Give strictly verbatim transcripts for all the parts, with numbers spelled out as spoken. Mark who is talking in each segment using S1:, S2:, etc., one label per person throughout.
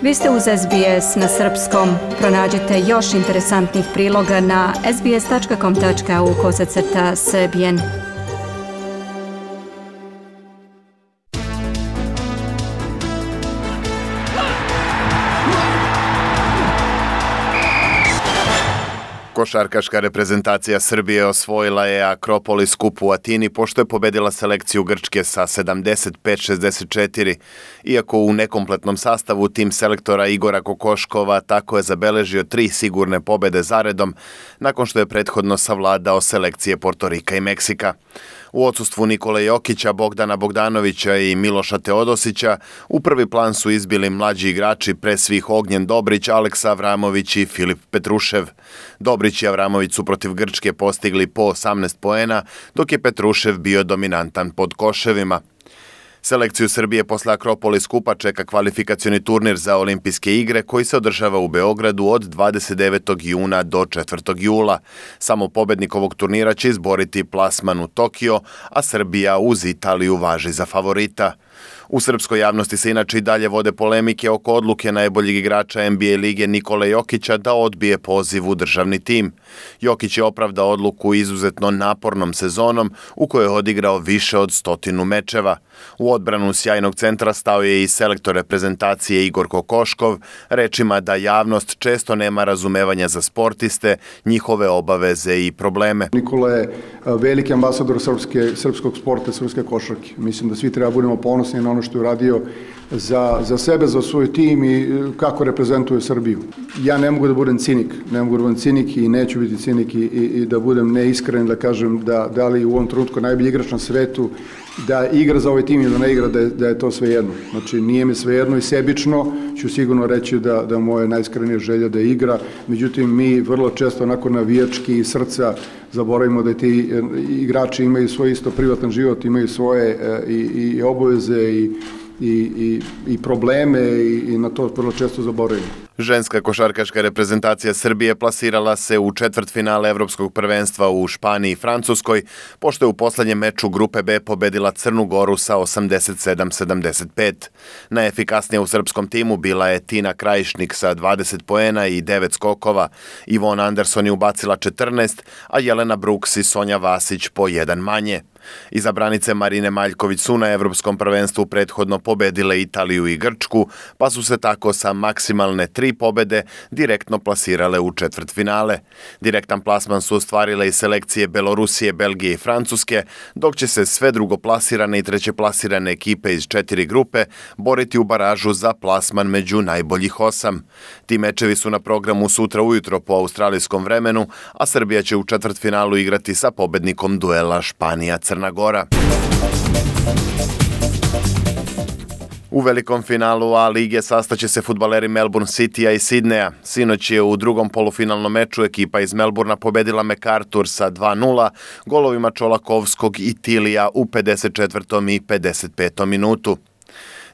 S1: Vi ste uz S B S na srpskom. Pronađite još interesantnih priloga na sbs.com tačka au kosacrta srbijen.
S2: Košarkaška reprezentacija Srbije osvojila je Akropolis kup u Atini pošto je pobedila selekciju Grčke sa sedamdeset pet šezdeset četiri. Iako u nekompletnom sastavu, tim selektora Igora Kokoškova tako je zabeležio tri sigurne pobede zaredom nakon što je prethodno savladao selekcije Portorika i Meksika. U odsustvu Nikole Jokića, Bogdana Bogdanovića i Miloša Teodosića u prvi plan su izbili mlađi igrači, pre svih Ognjen Dobrić, Aleksa Avramović i Filip Petrušev. Dobrić i Avramović su protiv Grčke postigli po osamnaest poena, dok je Petrušev bio dominantan pod koševima. Selekciju Srbije posle Akropolis kupa čeka kvalifikacioni turnir za olimpijske igre koji se održava u Beogradu od dvadeset devetog juna do četvrtog jula. Samo pobednik ovog turnira će izboriti plasman u Tokio, a Srbija uz Italiju važi za favorita. U srpskoj javnosti se inače i dalje vode polemike oko odluke najboljeg igrača N B A lige Nikole Jokića da odbije poziv u državni tim. Jokić je opravdao odluku izuzetno napornom sezonom u kojoj je odigrao više od stotinu mečeva. U odbranu sjajnog centra stao je i selektor reprezentacije Igor Kokoškov, rečima da javnost često nema razumevanja za sportiste, njihove obaveze i probleme.
S3: Nikola je veliki ambasador srpske, srpskog sporta, srpske košarke. Mislim da svi treba budemo ponosni na ono što je uradio za, za sebe, za svoj tim i kako reprezentuje Srbiju. Ja ne mogu da budem cinik, ne mogu da budem cinik i neću biti cinik i, i, i da budem neiskren, da kažem da, da li u ovom trenutku najbolji igrač na svetu, da igra za ovaj tim ili da ne igra, da je, da je to svejedno. Znači, nije mi svejedno i sebično ću sigurno reći da, da moje najiskrenija želja da igra. Međutim, mi vrlo često onako navijački i srca zaboravimo da ti igrači imaju svoj isto privatan život, imaju svoje i, i obaveze i I, i, i probleme i, i na to vrlo često zaboravimo.
S2: Ženska košarkaška reprezentacija Srbije plasirala se u četvrtfinale Evropskog prvenstva u Španiji i Francuskoj, pošto je u poslednjem meču grupe B pobedila Crnu Goru sa osamdeset sedam sedamdeset pet. Najefikasnija u srpskom timu bila je Tina Krajišnik sa dvadeset poena i devet skokova. Ivona Anderson je ubacila četrnaest, a Jelena Brooks i Sonja Vasić po jedan manje. Izabranice Marine Maljković su na Evropskom prvenstvu prethodno pobedile Italiju i Grčku, pa su se tako sa maksimalne tri pobede direktno plasirale u četvrtfinale. Direktan plasman su ostvarile i selekcije Belorusije, Belgije i Francuske, dok će se sve drugoplasirane i trećeplasirane ekipe iz četiri grupe boriti u baražu za plasman među najboljih osam. Ti mečevi su na programu sutra ujutro po australijskom vremenu, a Srbija će u četvrtfinalu igrati sa pobednikom duela Španija-Crna Gora. U velikom finalu A lige sastaće se fudbaleri Melbourne Citya i Sidneja. Sinoć je u drugom polufinalnom meču ekipa iz Melbourna pobedila MacArthur sa dva nula golovima Čolakovskog i Tilija u pedeset četvrtom i pedeset petom minutu.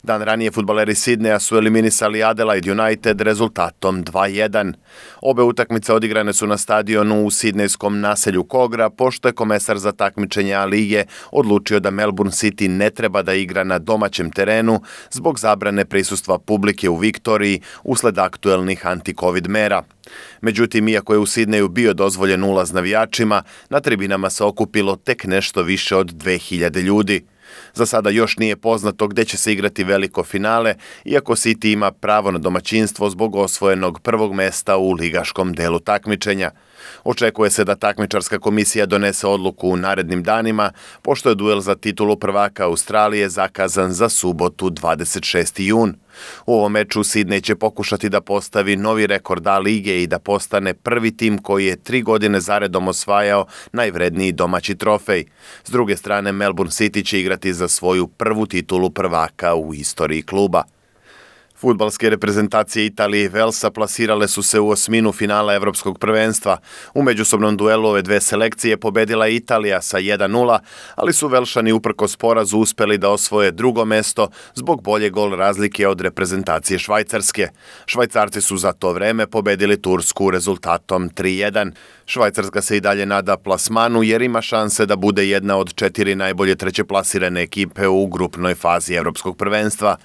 S2: Dan ranije fudbaleri Sidneja su eliminisali Adelaide United rezultatom dva jedan. Obe utakmice odigrane su na stadionu u sidnejskom naselju Kogra, pošto je komesar za takmičenje A lige odlučio da Melbourne City ne treba da igra na domaćem terenu zbog zabrane prisustva publike u Viktoriji usled aktuelnih anti-covid mera. Međutim, iako je u Sidneju bio dozvoljen ulaz navijačima, na tribinama se okupilo tek nešto više od dve hiljade ljudi. Za sada još nije poznato gde će se igrati veliko finale, iako City ima pravo na domaćinstvo zbog osvojenog prvog mesta u ligaškom delu takmičenja. Očekuje se da takmičarska komisija donese odluku u narednim danima, pošto je duel za titulu prvaka Australije zakazan za subotu dvadeset šesti jun. U ovom meču Sidney će pokušati da postavi novi rekord A lige i da postane prvi tim koji je tri godine zaredom osvajao najvredniji domaći trofej. S druge strane, Melbourne City će igrati za svoju prvu titulu prvaka u istoriji kluba. Fudbalske reprezentacije Italije i Velsa plasirale su se u osminu finala Evropskog prvenstva. U međusobnom duelu ove dve selekcije pobedila Italija sa jedan nula, ali su Velšani uprkos porazu uspeli da osvoje drugo mesto zbog bolje gol razlike od reprezentacije Švajcarske. Švajcarci su za to vreme pobedili Tursku rezultatom tri jedan. Švajcarska se i dalje nada plasmanu jer ima šanse da bude jedna od četiri najbolje trećeplasirane ekipe u grupnoj fazi Evropskog prvenstva.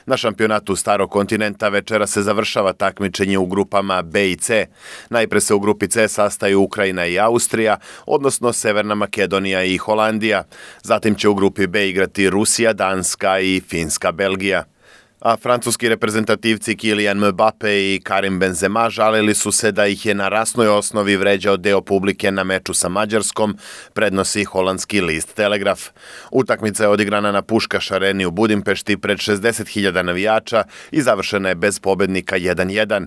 S2: Na šampionatu Starog kontinenta večera se završava takmičenje u grupama B i C. Najpre se u grupi C sastaju Ukrajina i Austrija, odnosno Severna Makedonija i Holandija. Zatim će u grupi B igrati Rusija, Danska i Finska, Belgija. A francuski reprezentativci Kylian Mbappe i Karim Benzema žalili su se da ih je na rasnoj osnovi vređao deo publike na meču sa Mađarskom, prednosi holandski list Telegraf. Utakmica je odigrana na Puškaš areni u Budimpešti pred šezdeset hiljada navijača i završena je bez pobednika jedan jedan.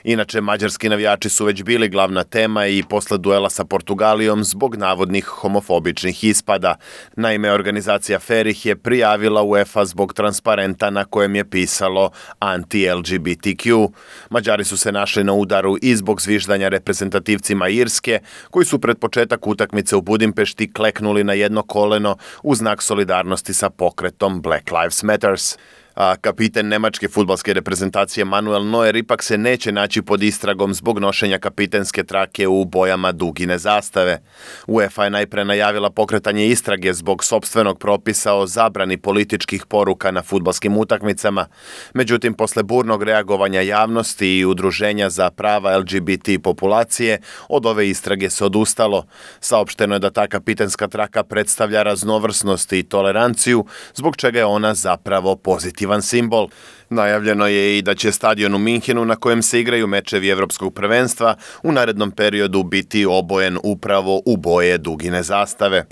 S2: Inače, mađarski navijači su već bili glavna tema i posle duela sa Portugalijom zbog navodnih homofobičnih ispada. Naime, organizacija Fer ih je prijavila UEFA zbog transparenta na kojem je pisalo anti-L G B T Q. Mađari su se našli na udaru i zbog zviždanja reprezentativcima Irske, koji su pred početak utakmice u Budimpešti kleknuli na jedno koleno u znak solidarnosti sa pokretom Black Lives Matters. A kapiten nemačke fudbalske reprezentacije Manuel Neuer ipak se neće naći pod istragom zbog nošenja kapitenske trake u bojama dugine zastave. UEFA je najpre najavila pokretanje istrage zbog sopstvenog propisa o zabrani političkih poruka na fudbalskim utakmicama. Međutim, posle burnog reagovanja javnosti i udruženja za prava L G B T populacije, od ove istrage se odustalo. Saopšteno je da ta kapitenska traka predstavlja raznovrsnost i toleranciju, zbog čega je ona zapravo pozitivna simbol. Najavljeno je i da će stadion u Minhenu na kojem se igraju mečevi Evropskog prvenstva u narednom periodu biti obojen upravo u boje dugine zastave.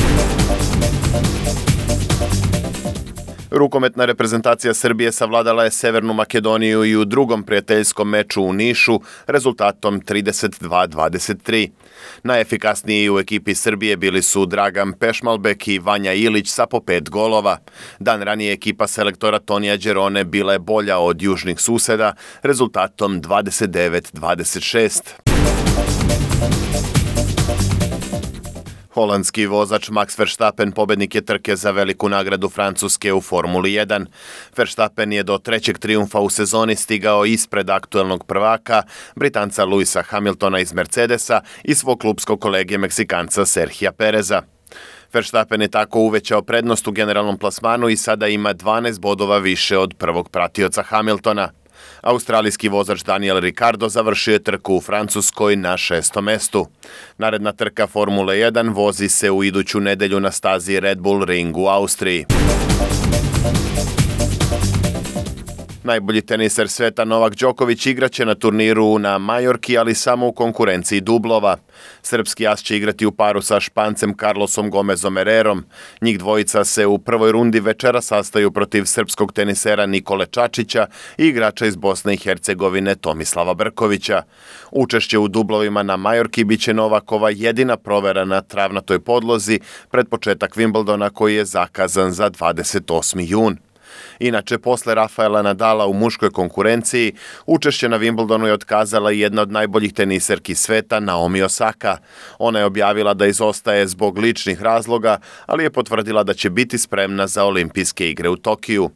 S2: Rukometna reprezentacija Srbije savladala je Severnu Makedoniju i u drugom prijateljskom meču u Nišu rezultatom trideset dva dvadeset tri. Najefikasniji u ekipi Srbije bili su Dragan Pešmalbek i Vanja Ilić sa po pet golova. Dan ranije ekipa selektora Tonija Đerone bila je bolja od južnih suseda rezultatom dvadeset devet dvadeset šest. Holandski vozač Max Verstappen pobednik je trke za veliku nagradu Francuske u Formuli jedan. Verstappen je do trećeg trijumfa u sezoni stigao ispred aktuelnog prvaka, Britanca Lewisa Hamiltona iz Mercedesa i svog klubskog kolege Meksikanca Serhija Pereza. Verstappen je tako uvećao prednost u generalnom plasmanu i sada ima dvanaest bodova više od prvog pratioca Hamiltona. Australijski vozač Daniel Ricciardo završio je trku u Francuskoj na šestom mestu. Naredna trka Formule jedan vozi se u iduću nedelju na stazi Red Bull Ring u Austriji. Najbolji teniser sveta Novak Đoković igraće na turniru na Majorki, ali samo u konkurenciji dublova. Srpski as će igrati u paru sa Špancem Carlosom Gomezom Hererom. Njih dvojica se u prvoj rundi večera sastaju protiv srpskog tenisera Nikole Čačića i igrača iz Bosne i Hercegovine Tomislava Brkovića. Učešće u dublovima na Majorki biće Novakova jedina provera na travnatoj podlozi pred početak Wimbledona koji je zakazan za dvadeset osmi jun. Inače, posle Rafaela Nadala u muškoj konkurenciji, učešće na Wimbledonu je otkazala i jedna od najboljih teniserki sveta, Naomi Osaka. Ona je objavila da izostaje zbog ličnih razloga, ali je potvrdila da će biti spremna za olimpijske igre u Tokiju.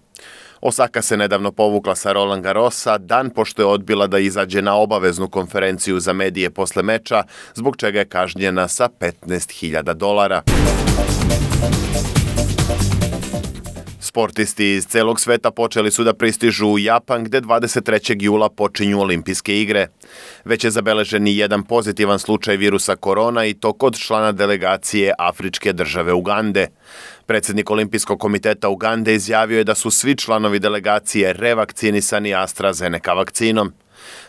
S2: Osaka se nedavno povukla sa Roland Garrosa, dan pošto je odbila da izađe na obaveznu konferenciju za medije posle meča, zbog čega je kažnjena sa petnaest hiljada dolara. Sportisti iz celog sveta počeli su da pristižu u Japan, gde dvadeset trećeg jula počinju olimpijske igre. Već je zabeležen i jedan pozitivan slučaj virusa korona i to kod člana delegacije afričke države Ugande. Predsjednik Olimpijskog komiteta Ugande izjavio je da su svi članovi delegacije revakcinisani AstraZeneca vakcinom.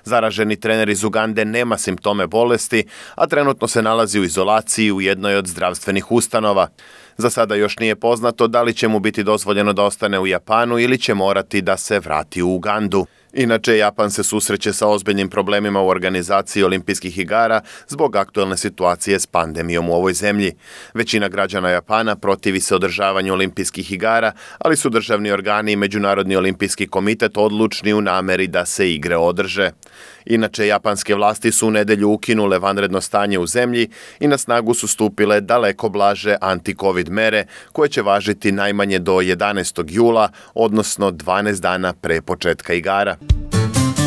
S2: Zaraženi trener iz Ugande nema simptome bolesti, a trenutno se nalazi u izolaciji u jednoj od zdravstvenih ustanova. Za sada još nije poznato da li će mu biti dozvoljeno da ostane u Japanu ili će morati da se vrati u Ugandu. Inače, Japan se susreće sa ozbiljnim problemima u organizaciji olimpijskih igara zbog aktuelne situacije s pandemijom u ovoj zemlji. Većina građana Japana protivi se održavanju olimpijskih igara, ali su državni organi i Međunarodni olimpijski komitet odlučni u nameri da se igre održe. Inače, japanske vlasti su u nedelju ukinule vanredno stanje u zemlji i na snagu su stupile daleko blaže anti-covid mere koje će važiti najmanje do jedanaestog jula, odnosno dvanaest dana pre početka igara.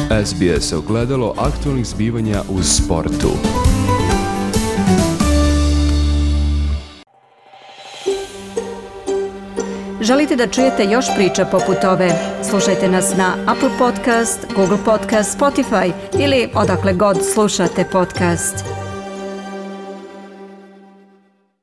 S4: S B S ogledalo aktualnih zbivanja u sportu.
S1: Želite da čujete još priča poput ove? Slušajte nas na Apple Podcast, Google Podcast, Spotify ili odakle god slušate podcast.